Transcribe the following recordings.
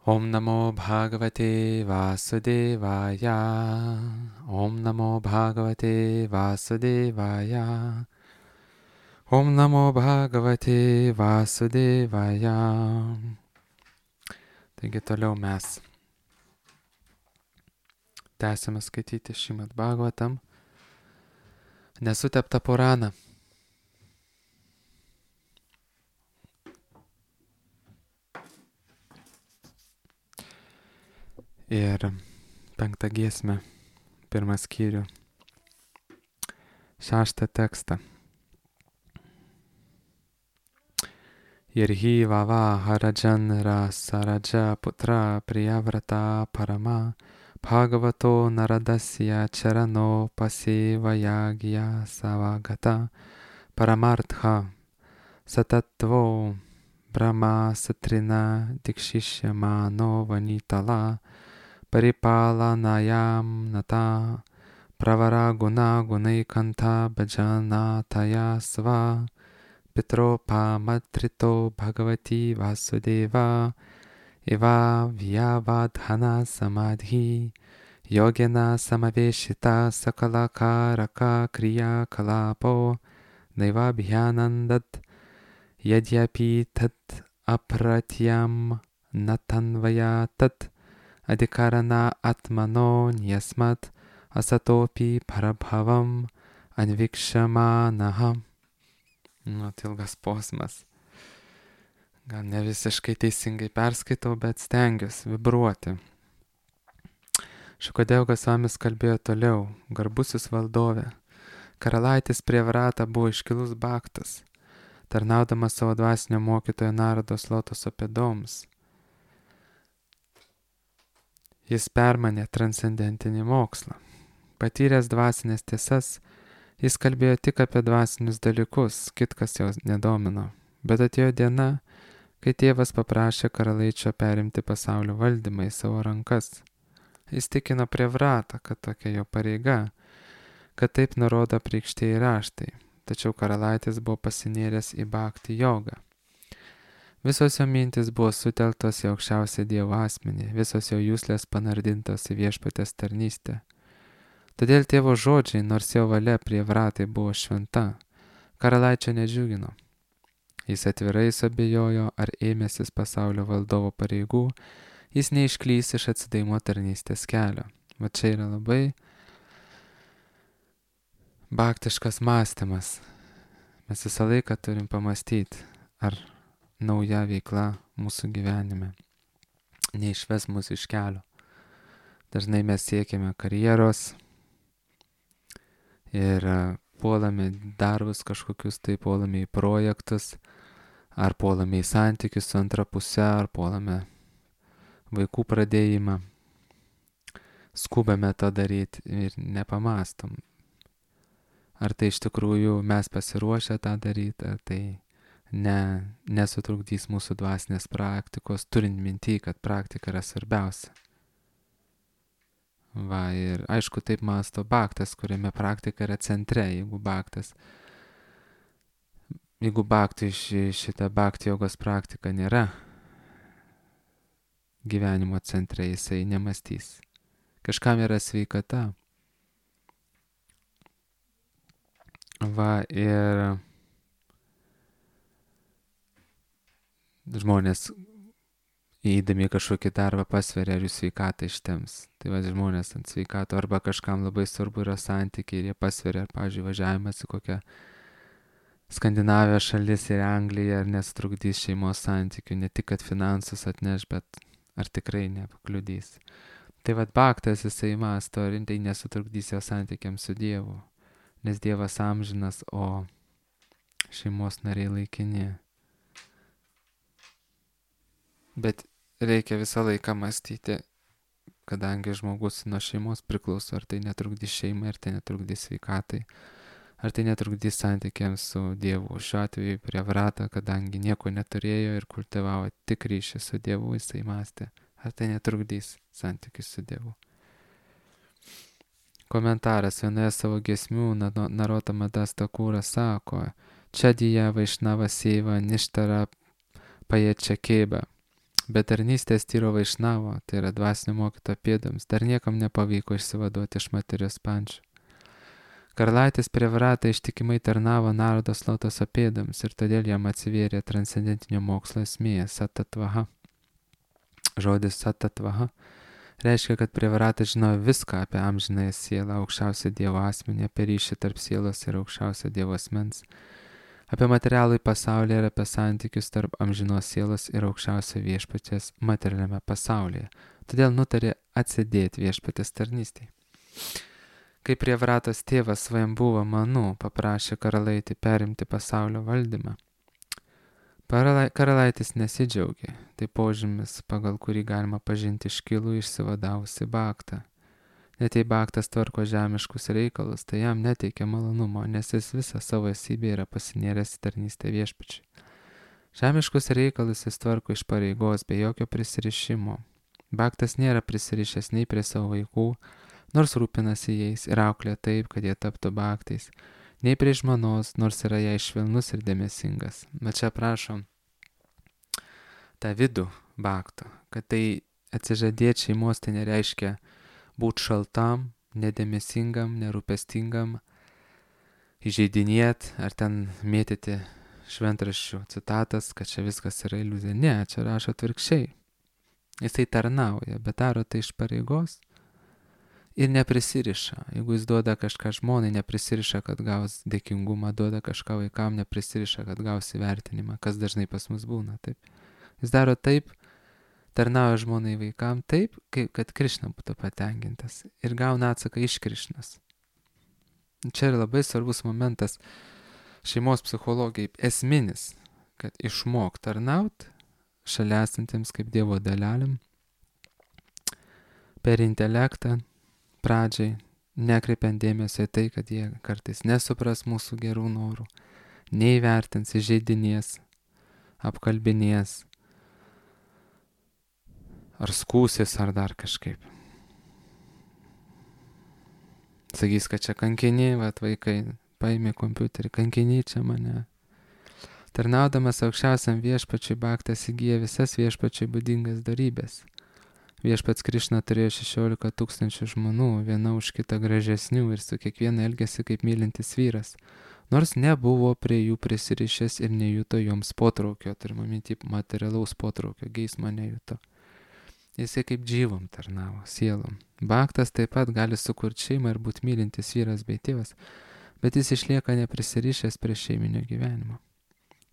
Om Namo Bhagavate Vasudevaya. Om Namo Bhagavate Vasudevaya. Om Namo Bhagavate Vasudevaya. Taigi toliau mes tęsime skaityti Šrimad Bhagavatam, nesuteptą Puraną. Ir 5 giesmę, 1 skyrių, 6 tekstą. Irhi vava harajan rasaraja putra priyavrata parama bhagavato naradasya charano pasevayagya savagata paramartha satatvo brahma satrina dikshishya mano vanitala paripalanayam nata pravara guna gunaikanta bhajanataya sva Pitropa matrito bhagavati vasudeva eva vyavadhana samadhi yogena samaveshita sakalakaraka kriya kalapo naivabhyanandat yadyapi tat apratyam natanvaya tat adikarana atmano nyasmat asatopi parabhavam anvikshamanaha. Ilgas posmas. Gal ne visiškai teisingai perskaitau, bet stengiuosi vibruoti. Šukadevas Svamis kalbėjo toliau. Garbusis valdove. Karalaitis Priyavrata buvo iškilus bhaktas, tarnaudamas savo dvasinio mokytojo Narados lotoso pėdoms. Jis permanė transcendentinį mokslą. Patyręs dvasinės tiesas, jis kalbėjo tik apie dvasinius dalykus, kitkas jo nedomino. Bet atėjo diena, kai tėvas paprašė karalaičio perimti pasaulio valdymą į savo rankas. Jis tikino Priyavratą, kad tokia jo pareiga, kad taip nurodo apreikštieji raštai. Tačiau karalaitis buvo pasinėręs į bhakti jogą. Visos jo mintis buvo sutelktos į aukščiausią Dievo asmenį, visos jo juslės panardintos į viešpatės tarnystę. Todėl tėvo žodžiai, nors jo valia Priyavratai buvo šventa, karalaičio nedžiugino. Jis atvirai suabejojo, ar ėmęsis pasaulio valdovo pareigų, jis neišklys iš atsidavimo tarnystės kelio. Va čia yra labai bhaktiškas mąstymas. Mes visą laiką turim pamastyti, ar nauja veikla mūsų gyvenime neišves mūsų iš kelio. Dažnai mes siekiame karjeros, ir puolame darbus kažkokius, tai puolame į projektus, ar puolame į santykius su antra puse, ar puolame vaikų pradėjimą. Skubame tą daryti ir nepamastom. Ar tai iš tikrųjų mes pasiruošę tą daryti, ar tai nesutrukdys mūsų dvasinės praktikos, turint minty, kad praktika yra svarbiausia. Va, ir aišku, taip mąsto bhaktas, kuriame praktika yra centre. Jeigu bhaktui šita bhakti jogos praktika nėra gyvenimo centre, jisai nemastys. Kažkam yra sveikata. Va, ir žmonės įeidami kažkokį darbą pasveria, ar jų sveikatą ištems. Tai va, žmonės ant sveikato, arba kažkam labai svarbu yra santykiai ir jie pasveria, ar, pavyzdžiui, važiavimas į kokią Skandinavijos šalis ir Angliją, ar nesutrukdys šeimos santykių, ne tik, kad finansus atneš, bet ar tikrai nepakliudys. Tai va, bhaktas jisai mąsto, ar tai nesutrukdys jo santykiams su Dievu, nes Dievas amžinas, o šeimos nariai laikini. Bet reikia visą laiką mąstyti, kadangi žmogus nuo šeimos priklauso, ar tai netrukdys šeimai, ar tai netrukdys sveikatai, ar tai netrukdys santykiams su Dievu. Šiuo atveju Priyavrata, kadangi nieko neturėjo ir kultivavo tik ryšį su Dievu, jisai mąstė, ar tai netrukdys santykius su Dievu. Komentaras vienoje savo giesmių Narotama Das Thakura sako, Čadija Vaišnava Seva Ništara Paječia Keba. Bet tarnystės tyro vaišnavo, tai yra dvasinio mokytojo pėdoms, dar niekam nepavyko išsivaduoti iš materijos pančių. Karalaitis Prevratą ištikimai tarnavo Narodo Slotoso pėdoms ir todėl jam atsivėrė transcendentinio mokslo esmė satatvaha. Žodis satatvaha reiškia, kad Prevratas žinojo viską apie amžinąją sielą, aukščiausią Dievo asmenį, apie ryšį tarp sielos ir aukščiausio Dievo asmens, apie materialų pasaulį ir apie santykius tarp amžinos sielos ir aukščiausio viešpaties materialiame pasaulyje. Todėl nutarė atsidėti viešpatės tarnystėje. Kai Prevratos tėvas Svajambuva Manu paprašė karalaitį perimti pasaulio valdymą, karalaitis nesidžiaugė. Tai požymis, pagal kurį galima pažinti iškilų išsivadavusi Baktą. Net jei Baktas tvarko žemiškus reikalus, tai jam neteikia malonumo, nes jis visą savo esybę yra pasinėręs į tarnystę viešpačiui. Žemiškus reikalus jis tvarko iš pareigos, be jokio prisirišimo. Baktas nėra prisirišęs nei prie savo vaikų, nors rūpinasi jais ir auklė taip, kad jie taptų baktais, nei prie žmonos, nors yra jai švelnus ir dėmesingas. Bet čia prašom tą vidų bakto, kad tai atsižadėti šeimos tai nereiškia būti šaltam, nedėmesingam, nerūpestingam, įžeidinėt ar ten mėtyti šventraščių citatas, kad čia viskas yra iliuzija. Ne, čia rašo atvirkščiai. Jisai tarnauja, bet daro tai iš pareigos. Ir neprisiriša. Jeigu jis duoda kažką žmonai, neprisiriša, kad gaus dėkingumą, duoda kažką vaikam, neprisiriša, kad gaus įvertinimą, kas dažnai pas mus būna. Taip. Jis daro taip, tarnauja žmonai vaikam taip, kad Krišna būtų patenkintas ir gauna atsaką iš Krišnos. Čia yra labai svarbus momentas šeimos psichologijai, esminis, kad išmok tarnaut šalia esantiems kaip Dievo dalelėm per intelektą, pradžiai, nekreipiant dėmesio į tai, kad jie kartais nesupras mūsų gerų norų, neįvertins, įžeidinės, apkalbinės, ar skūsis, ar dar kažkaip. Sakys, kad čia kankiniai, vaikai paėmė kompiuterį, kankiniai čia mane. Tarnaudamas aukščiausiam viešpačiui Baktas įgyja visas viešpačiui būdingas darybės. Viešpats Krišna turėjo 16 000 žmonų, viena už kitą gražesnių ir su kiekviena elgėsi kaip mylintis vyras, nors nebuvo prie jų prisirišęs ir nejuto joms potraukio, turime minti materialaus potraukio, geismo nejuto. Jisai kaip džyvom tarnavo, sielom. Baktas taip pat gali sukurti šeimą ir būti mylintis vyras bei tėvas, bet jis išlieka neprisirišęs prie šeiminio gyvenimo.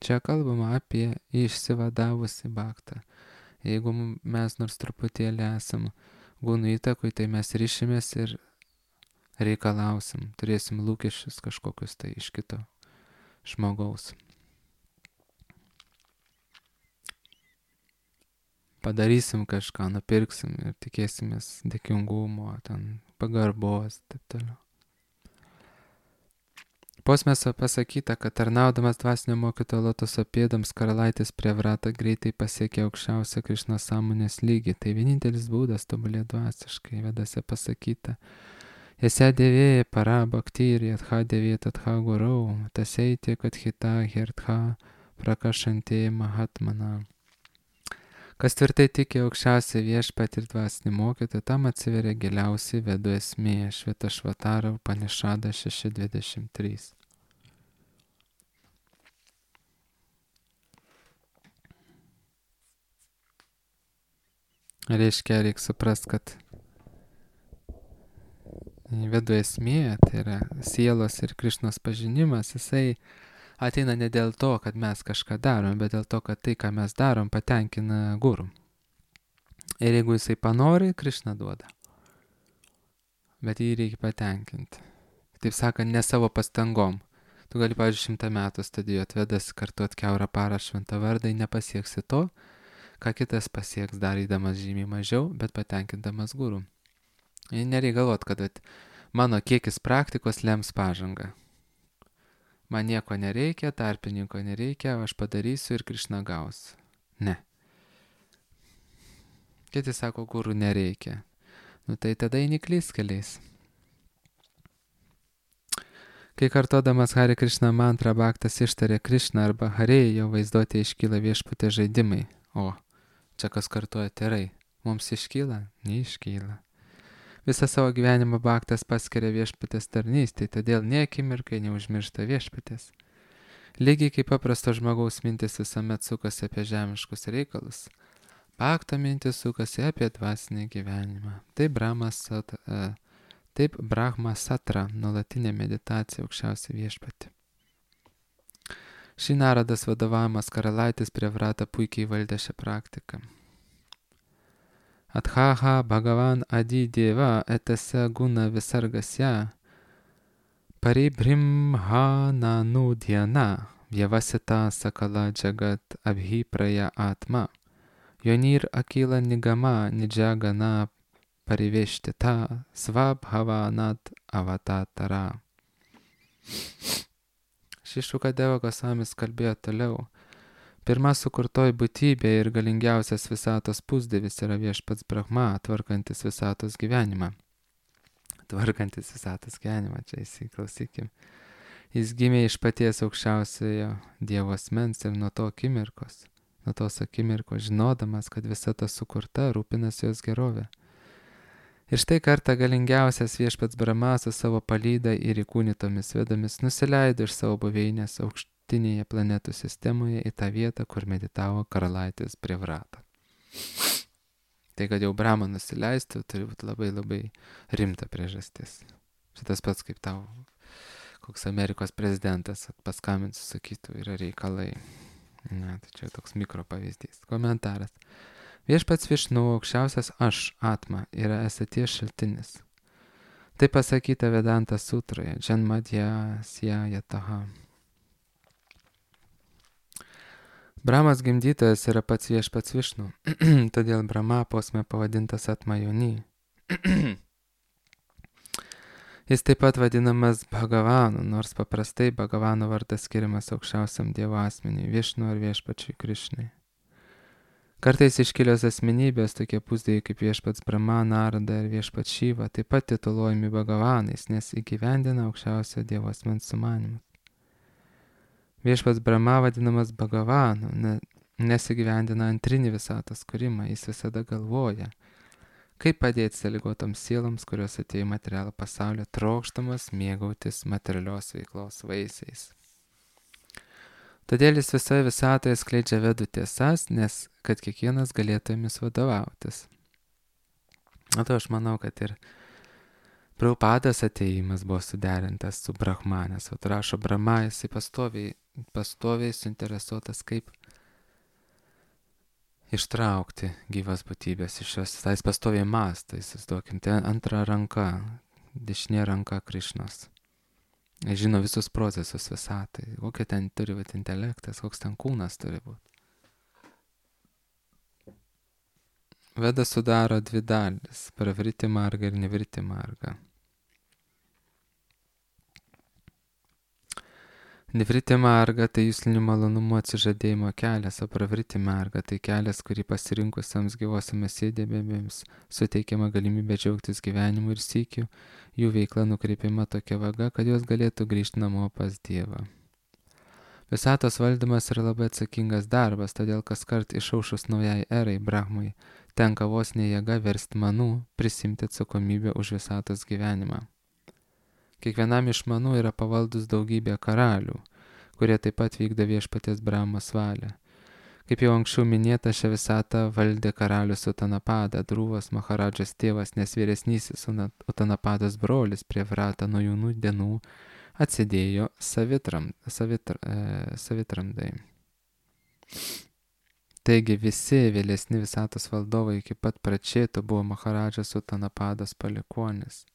Čia kalbama apie išsivadavusi Baktą. Jeigu mes nors truputėlį esam gūnų įtakui, tai mes ryšimės ir reikalausim, turėsim lūkesčius kažkokius tai iš kito žmogaus. Padarysim kažką, nupirksim ir tikėsimės dėkingumo, ten pagarbos, taip toliau. Posmėse pasakyta, kad tarnaudamas dvasinio mokytojo Lotoso pėdoms karalaitis Prevrata greitai pasiekė aukščiausią Krišnos sąmonės lygį. Tai vienintelis būdas tobulėti dvasiškai. Vedase pasakyta, Jese dėvėja para bhakti ir yatha dėvėja tatha gurau, taseitė kad hita hertha prakašantė mahatmana. Kas tvirtai tiki aukščiausią viešpatį ir dvasinį mokytoją, tam atsiveria giliausiai vedų esmė. Švetašvatara Upanishada 6.23. Reiškia, reikia suprasti, kad vedų esmė, tai yra sielos ir Krišnos pažinimas, jisai ateina ne dėl to, kad mes kažką darom, bet dėl to, kad tai, ką mes darom, patenkina guru. Ir jeigu jisai panori, Krišna duoda. Bet jį reikia patenkinti. Taip sakant, ne savo pastangom. Tu gali, pavyzdžiui, 100 metų studijuoti vedas, kartuot kiaurą parą šventą vardą, nepasieksi to, ką kitas pasieks darydamas žymiai mažiau, bet patenkindamas guru. Nereikia galvot, kad mano kiekis praktikos lems pažangą. Man nieko nereikia, tarpininko nereikia, aš padarysiu ir Krišna gaus. Ne. Kiti sako, guru nereikia. Tai tada eini klystkeliais. Kai kartodamas Hare Krišna mantrą Baktas ištarė Krišna arba Hare, jo vaizduotė iškyla viešpatės žaidimai. O, Čia kas kartuoja terai. Mums iškyla? Neiškyla. Visą savo gyvenimą Bhaktas paskiria viešpatės tarnystei, todėl nie akimirkai neužmiršta viešpatės. Lygiai kaip paprasto žmogaus mintis visuomet sukasi apie žemiškus reikalus, Bhakto mintis sukasi apie dvasinį gyvenimą. Taip Brahma Satra, nuolatinė meditacija aukščiausią viešpatį. Šį Naradas vadovavimas karalaitis Privrata puikiai valdė šią praktiką. Athaha Bhagavan Adi Deva etase guna visargasya paribrimhana nudhyana vyavasita sakala jagat abhipraya atma yonir akila nigama nijagana pariveshtita svabhavanat avatatara. Šukadeva Gosamis kalbėjo toliau. Pirma sukurtoji būtybė ir galingiausias visatos pusdievis yra viešpats Brahma, tvarkantis visatos gyvenimą. Čia įsiklausykim. Jis gimė iš paties aukščiausiojo Dievo asmens ir nuo tos akimirkos, žinodamas, kad visata sukurta, rūpinasi jos gerovė. Ir štai kartą galingiausias viešpats Brahma su savo palyda ir įkūnytomis vedomis nusileido iš savo buveinės aukštinėje planetų sistemoje į tą vietą, kur meditavo karalaitis Privrata. Tai, kad jau Brahma nusileistų, turi būti labai labai rimta priežastis. Šitas pats kaip tau koks Amerikos prezidentas paskambins, sakytų, yra reikalai. Na, tai čia toks mikro pavyzdys. Komentaras. Viešpats Višnu, aukščiausias aš, Atma, yra esaties šaltinis. Tai pasakyta Vedanta sutroje, Janmadhya Syayataha. Brahmas gimdytojas yra pats viešpats Višnu, todėl Brahma posme pavadintas Atmajoni. Jis taip pat vadinamas Bhagavanu, nors paprastai Bhagavano vardas skiriamas aukščiausiam Dievo asmeniui, Višnu ar viešpačiui Krišnai. Kartais iškilios asmenybės, tokie pusdieviai kaip viešpats Brahma, Narada ir viešpats Šiva, taip pat tituluojami Bhagavanais, nes įgyvendina aukščiausio Dievo asmens sumanymus. Viešpats Brahma vadinamas Bhagavanu, nes įgyvendina antrinį visatos kūrimą, jis visada galvoja, kaip padėti sąlygotoms sieloms, kurios atėjo į materialų pasaulį, trokštamas mėgautis materialios veiklos vaisiais. Todėl jis visoje visatoje skleidžia vedų tiesas, nes kad kiekvienas galėtų jomis vadovautis. O to aš manau, kad ir Prabhupados atėjimas buvo suderintas su Brahma, nes rašo Brahma, jisai pastoviai suinteresuotas, kaip ištraukti gyvas būtybės iš jos. Tai jis pastoviai mąsto, įsivaizduokim, tai antra ranka, dešinė ranka Krišnos. Žino visus procesus visatai, kokia ten turi būti intelektas, koks ten kūnas turi būti. Veda sudaro dvi dalis, pravriti marga ir nevriti marga. Nevriti marga tai juslinių malonumų atsižadėjimo kelias, o pravriti marga tai kelias, kurį pasirinkusiems gyvosiomis sėdėbėmis suteikiama galimybė džiaugtis gyvenimu ir sykiu, jų veikla nukreipiama tokia vaga, kad jos galėtų grįžti namo pas Dievą. Visatos valdymas yra labai atsakingas darbas, todėl kaskart išaušus naujai erai Brahmai tenka vos ne jėga versti manų prisimti atsakomybę už visatos gyvenimą. Kiekvienam iš manų yra pavaldus daugybė karalių, kurie taip pat vykdo viešpaties Brahmos valią. Kaip jau anksčiau minėta, šią visatą valdė karalius Utanapada, Druvos Maharadžos tėvas, nes vyresnysis Utanapados brolis Privrata nuo jaunų dienų atsidėjo savitramdai. Taigi visi vėlesni visatos valdovai iki pat Pračeto buvo Maharadžos Utanapados palikuonis.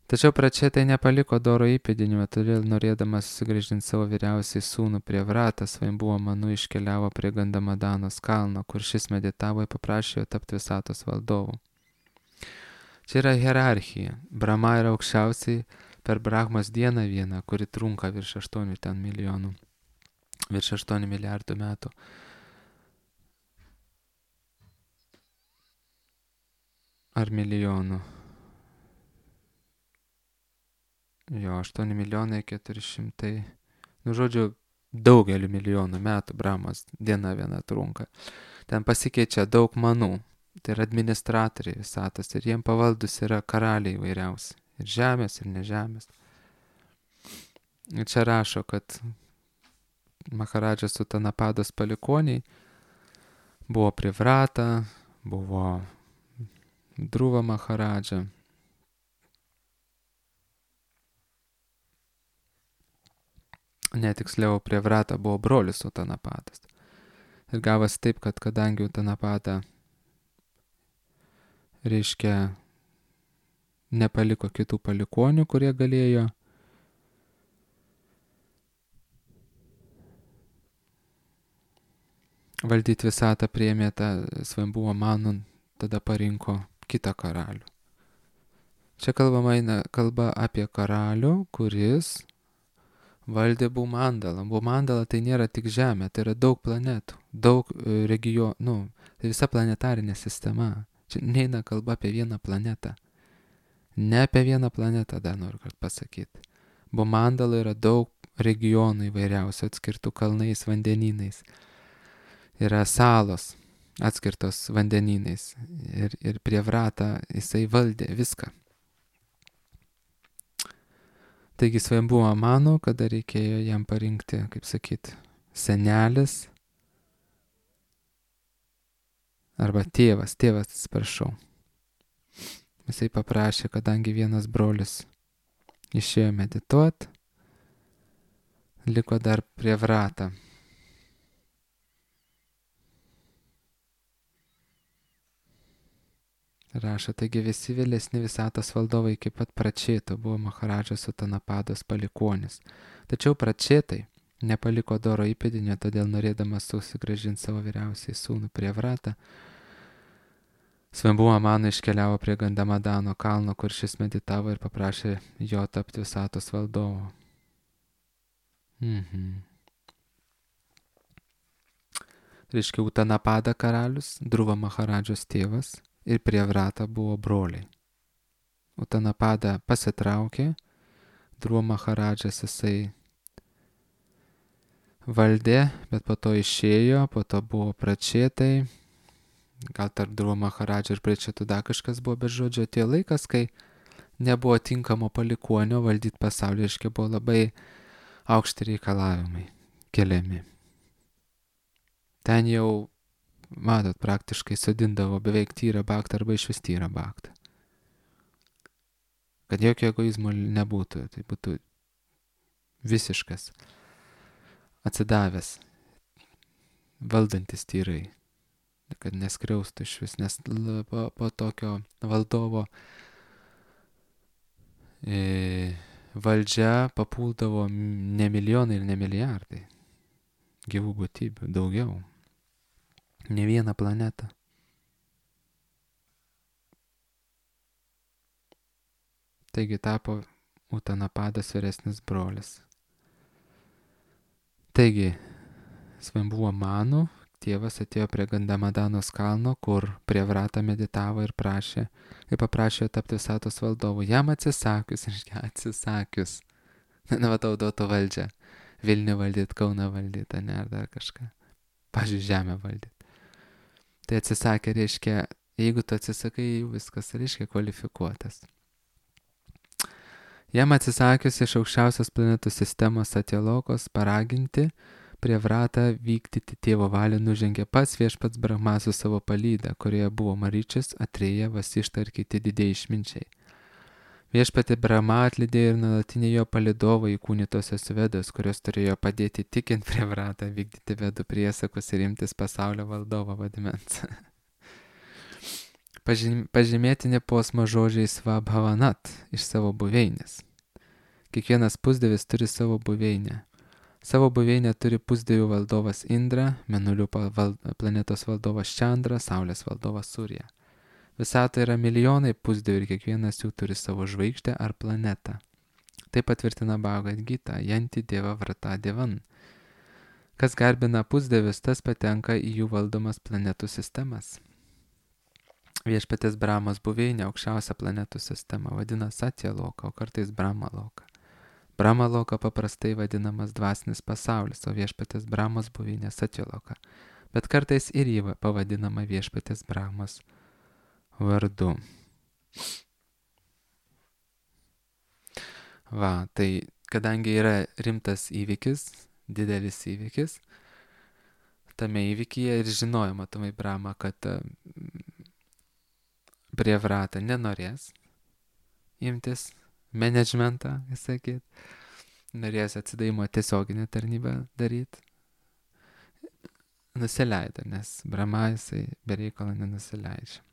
Tačiau Pračetai nepaliko doro įpėdinio, todėl norėdamas sugrįžinti savo vyriausiai sūnų Privratą, Svajambuvo manu iškeliavo prie Gandamadanos kalno, kur šis meditavo ir paprašė jo tapti visatos valdovu. Čia yra hierarchija. Brahma yra aukščiausiai per Brahmos dieną vieną, kuri trunka virš 8 milijardų metų. Ar milijonų. Jo, 8 milijonai 400. Žodžiu, Daugeliu milijonų metų Brahmos diena viena trunka. Ten pasikeičia daug manų. Tai yra administratoriai visatos ir jiem pavaldus yra karaliai įvairiausi. Ir žemės, ir nežemės. Ir čia rašo, kad Maharadžas Utanapados palikoniai buvo Privrata, buvo Dhruva Maharadža. Netiksliau, Privrata buvo brolis Utanapadas. Ir gavosi taip, kad kadangi Utanapada, reiškia, nepaliko kitų palikonių, kurie galėjo valdyti visatą, priėmė tą Svambhuva Manu, tada parinko kitą karalių. Čia kalba apie karalių, kuris valdė Bhumandalą. Bhumandala tai nėra tik Žemė, tai yra daug planetų, daug regionų, tai visa planetarinė sistema. Čia neina kalba apie vieną planetą. Ne apie vieną planetą, dar noriu pasakyti. Bhumandala yra daug regionų įvairiausių, atskirtų kalnais, vandenynais. Yra salos atskirtos vandenynais. Ir Privrata jisai valdė viską. Taigi Svambhuva Manu, kada reikėjo jam parinkti, kaip sakyti, senelis, arba tėvas, atsiprašau. Jisai paprašė, kadangi vienas brolis išėjo medituoti, liko dar Privrata. Rašo, taigi visi vėlesni visatos valdovai iki pat Pračeto buvo Maharadžas Utanapados palikonis. Tačiau Pračetai nepaliko doro įpėdinio, todėl norėdamas susigrąžinti savo vyriausiai sūnų Privratą, Svambhuva Manu iškeliavo prie Gandamadano kalno, kur šis meditavo ir paprašė jo tapti visatos valdovu. Reiškia, Utanapada karalius, Dhruva Maharadžos tėvas ir Privrata buvo broliai. Utanapada pasitraukė, Dhruva Maharadžas jisai valdė, bet po to išėjo, po to buvo Pračetai, gal tarp Dhruva Maharadžo ir Pračetų dar kažkas buvo, bet žodžio atėjo laikas, kai nebuvo tinkamo palikuonio valdyti pasaulį, reiškia, buvo labai aukšti reikalavimai keliami. Ten jau, matot, praktiškai sodindavo beveik tyrą baktą arba iš vis tyrą baktą. Kad jokio egoizmo nebūtų, tai būtų visiškas, atsidavęs, valdantis tyrai, kad neskriaustų iš vis, nes po tokio valdovo valdžia papuldavo ne milijonai ir ne milijardai gyvų būtybių, daugiau. Ne vieną planetą. Taigi tapo Utanapadas vyresnis brolis. Taigi, Svambhuva Manu tėvas atėjo prie Gandamadanos kalno, kur Privrata meditavo ir paprašė tapti visatos valdovu. Jam atsisakius, na, tau duotų valdžią. Vilnių valdyt, Kauną valdyt, ne, ar dar kažką. Pavyzdžiui, žemę valdyt. Tai atsisakė, reiškia, jeigu tu atsisakai, viskas, reiškia, kvalifikuotas. Jam atsisakius iš aukščiausios planetų sistemos Satyalokos paraginti Privratą vykdyti tėvo valią nužengė pats viešpats Brahma su savo palyda, kurioje buvo Maryčis, Atreja, Vasišta ir kiti didieji išminčiai. Viešpatį Brahma atlydėjo ir nuolatiniai jo palydovai įkūnytosios Vedos, kurios turėjo padėti tikint Privratą vykdyti Vedų priesakus ir imtis pasaulio valdovo vaidmens. Pažymėtini posmo žodžiai Svabhavanat iš savo buveinės. Kiekvienas pusdievis turi savo buveinę. Savo buveinę turi pusdievių valdovas Indra, Mėnulių planetos valdovas Čandra, Saulės valdovas Surya. Visatoje yra milijonai pusdievių ir kiekvienas jų turi savo žvaigždę ar planetą. Tai patvirtina Bhagavad Gita, Yanti Deva Vrata Devan. Kas garbina pusdievius, tas patenka į jų valdomas planetų sistemas. Viešpatės Brahmos buveinė aukščiausia planetų sistema vadina Satyaloka, o kartais Brahmaloka. Brahmaloka paprastai vadinamas dvasinis pasaulis, o viešpatės Brahmos buveinė Satyaloka. Bet kartais ir jį pavadinama viešpatės Brahmos vardu. Va, tai kadangi yra rimtas įvykis, didelis įvykis, tame įvykyje ir žinojo matomai Brahma, kad Priyavrata nenorės imtis managementą, sakyt, norės atsidavimo tiesioginę tarnybą daryti. Nusileido, nes Brahma jisai be reikalo nenusileidžia.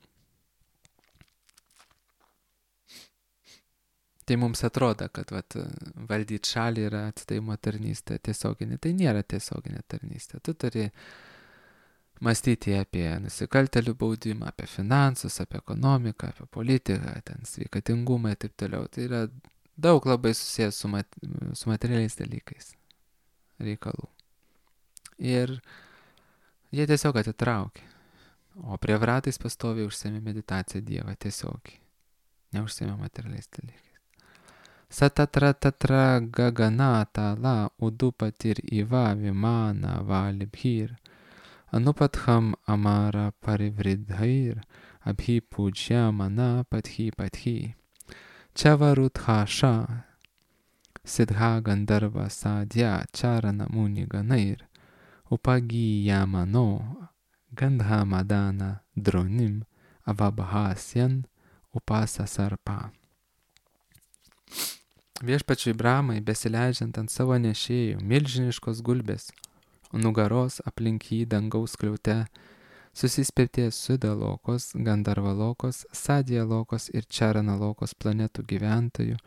Tai mums atrodo, kad valdyti šalį yra atsidavimo tarnystė tiesioginė. Tai nėra tiesioginė tarnystė. Tu turi mąstyti apie nusikaltėlių baudimą, apie finansus, apie ekonomiką, apie politiką, ten sveikatingumą ir taip toliau. Tai yra daug labai susijęs su materialiais dalykais reikalų. Ir jie tiesiog atitraukė. O Priyavratais pastoviai užsiėmė meditaciją Dievą tiesiogiai. Neužsiėmė materialiais dalykais. Satatra tatra gagana tala udupatir iva vimana valibhir anupatham amara parivridhair abhi pujyamana pathi chavarudhasha siddha gandharva sadhya charana muni ganair upagiyamano gandhamadana dronim avabhasyan upasasarpa. Viešpačiui Brahmai, besileidžiant ant savo nešėjų, milžiniškos gulbės, nugaros aplink jį dangaus skliaute, susispirtė Sudalokos, Gandharvalokos, Sadhyalokos ir Charanalokos planetų gyventojų,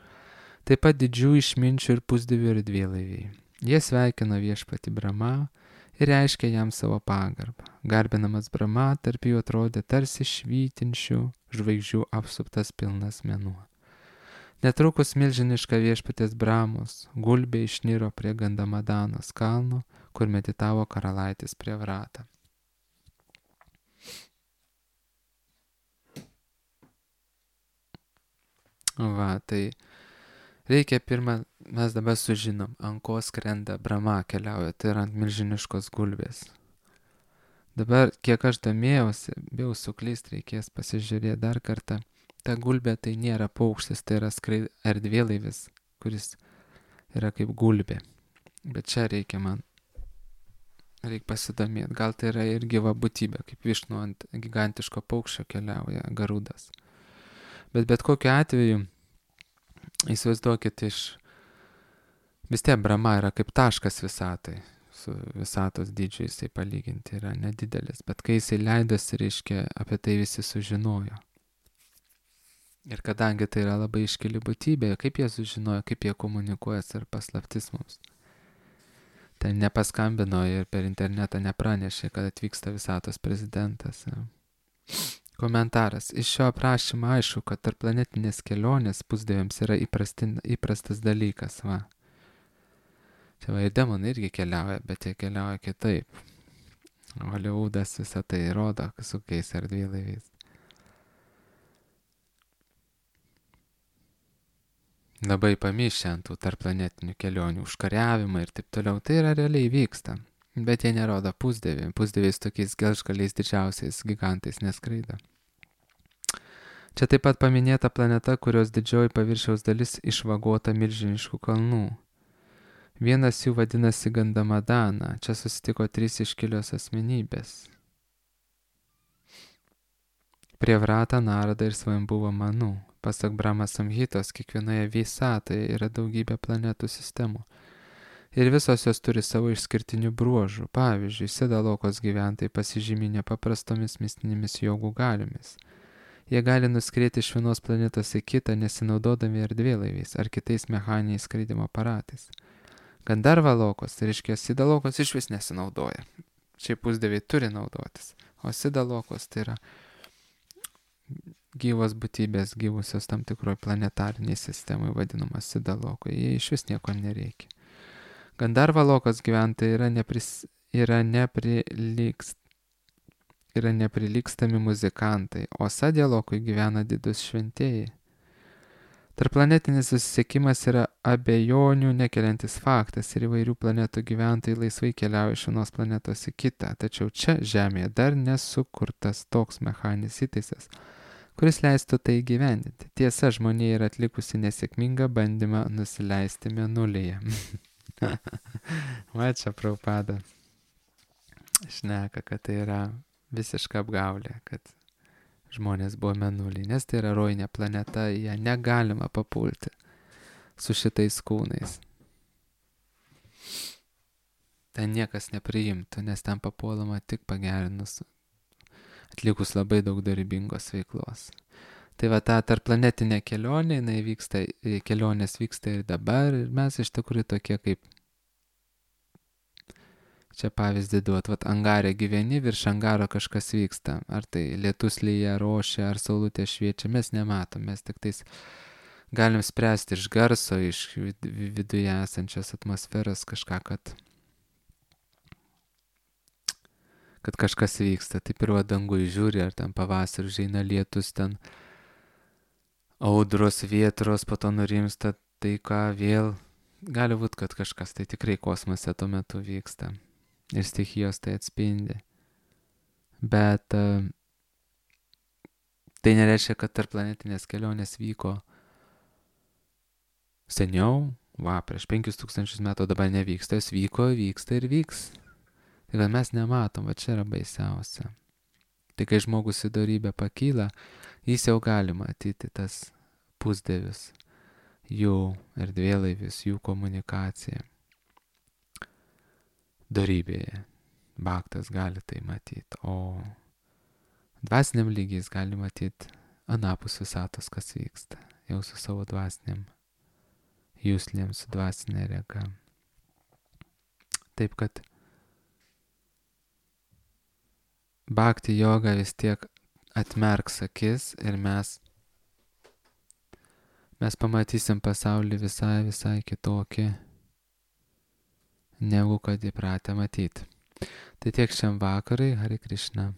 taip pat didžių išminčių ir pusdievių ir dvielaiviai. Jie sveikino viešpatį Brahmą ir reiškė jam savo pagarbą. Garbinamas Brahma tarp jų atrodė tarsi švytinčių žvaigždžių apsuptas pilnas mėnuo. Netrukus milžiniška viešpatės Brahmos gulbė išniro prie Gandhamadanos kalno, kur meditavo karalaitis Priyavrata. Va, tai reikia pirmą, mes dabar sužinom, ant ko skrenda Brahma keliauja, tai yra ant milžiniškos gulbės. Dabar, kiek aš domėjausi, bijau suklyst, reikės pasižiūrėti dar kartą. Ta gulbė tai nėra paukštis, tai yra erdvėlaivis, kuris yra kaip gulbė. Bet čia reikia pasidomėti. Gal tai yra ir gyva būtybė, kaip višnu ant gigantiško paukščio keliauja garudas. Bet kokiu atveju, įsivaizduokit, vis tiek Brahma yra kaip taškas visatai. Su visatos dydžiu jisai palyginti yra nedidelis. Bet kai jisai leidosi, reiškia, apie tai visi sužinojo. Ir kadangi tai yra labai iškili būtybė, kaip jie sužinojo, kaip jie komunikuoja ir paslaptis mums. Tai nepaskambino ir per internetą nepranešė, kad atvyksta visatos prezidentas. Komentaras. Iš šio aprašymo aišku, kad tarpplanetinės kelionės pusdieviams yra įprastas dalykas. Va. Čia va ir demonai irgi keliauja, bet jie keliauja kitaip. Holivudas visą tai rodo su kokiais erdvėlaiviais. Labai pamišę ant tų tarpplanetinių kelionių, užkariavimą ir taip toliau. Tai yra realiai vyksta. Bet jie nerodo pusdieviai. Pusdieviais tokiais gelžgaliais didžiausiais gigantais neskraido. Čia taip pat paminėta planeta, kurios didžioji paviršiaus dalis išvagota milžiniškų kalnų. Vienas jų vadinasi Gandhamadana. Čia susitiko 3 iškilios asmenybės. Priyavrata, Narada ir Svayambhuva Manu. Pasak Brahma Samhitos, kiekvienoje visatoje yra daugybė planetų sistemų. Ir visos jos turi savo išskirtinių bruožų. Pavyzdžiui, Sidalokos gyventojai pasižymi nepaprastomis mistinėmis jogų galiomis. Jie gali nuskrieti iš vienos planetos į kitą, nesinaudodami erdvėlaiviais ar kitais mechaniniais skraidymo aparatais. Gandharvalokos, tai reiškia, Sidalokos išvis nesinaudoja. Šiaip pusdieviai turi naudotis. O Sidalokos tai yra gyvos būtybės, gyvusios tam tikroje planetariniai sistemai vadinamas Sidalokai. Jie iš vis nieko nereikia. Gandharvalokos gyventojai yra neprilygstami muzikantai, o Sadhyalokui gyvena didus šventėjai. Tarplanetinis susisiekimas yra abejonių nekeliantis faktas ir įvairių planetų gyventojai laisvai keliauja iš vienos planetos į kitą. Tačiau čia Žemėje dar nesukurtas toks mechaninis įtaisas, kuris leistų tai įgyvendinti. Tiesa, žmonija yra atlikusi nesėkmingą bandymą nusileisti Mėnulyje. Va čia Prabhupada šneka, kad tai yra visiška apgaulė, kad žmonės buvo Mėnuly, nes tai yra rojinė planeta, ją negalima papulti su šitais kūnais. Ten niekas nepriimtų, nes ten papuolama tik pagerinus, atlikus labai daug darybingos veiklos. Tai va ta tarpplanetinė kelionė, kelionės vyksta ir dabar, ir mes iš tikrųjų tokie kaip, čia pavyzdį duot, vat angare gyveni, virš angaro kažkas vyksta, ar tai lietus lyja, rošia, ar saulutė šviečia, mes nematom, mes tik tais galim spręsti iš garso, iš viduje esančios atmosferos kažką, kad kažkas vyksta. Taip ir va dangui žiūri, ar ten pavasarį užeina lietus, ten audros, vietros, po to nurimsta, tai ką vėl, gali būt, kad kažkas tai tikrai kosmose tuo metu vyksta. Ir stichijos tai atspindi. Bet tai nereiškia, kad tarpplanetinės kelionės vyko seniau, prieš 5000 metų, dabar nevyksta, jos vyko, vyksta ir vyks. Tai kad mes nematom, va čia yra baisiausia. Tai kai žmogus į dorybę pakyla, jis jau gali matyti tas pusdievius, jų erdvėlaivius, jų komunikaciją. Dorybėje bhaktas gali tai matyti, o dvasiniam lygiais gali matyti anapus visatos, kas vyksta, jau su savo dvasiniam jūslėm, su dvasinė rega. Taip kad bhakti joga vis tiek atmerks akis ir mes pamatysim pasaulį visai kitokį, negu kad įpratę matyti. Tai tiek šiam vakarai, Hare Krishna.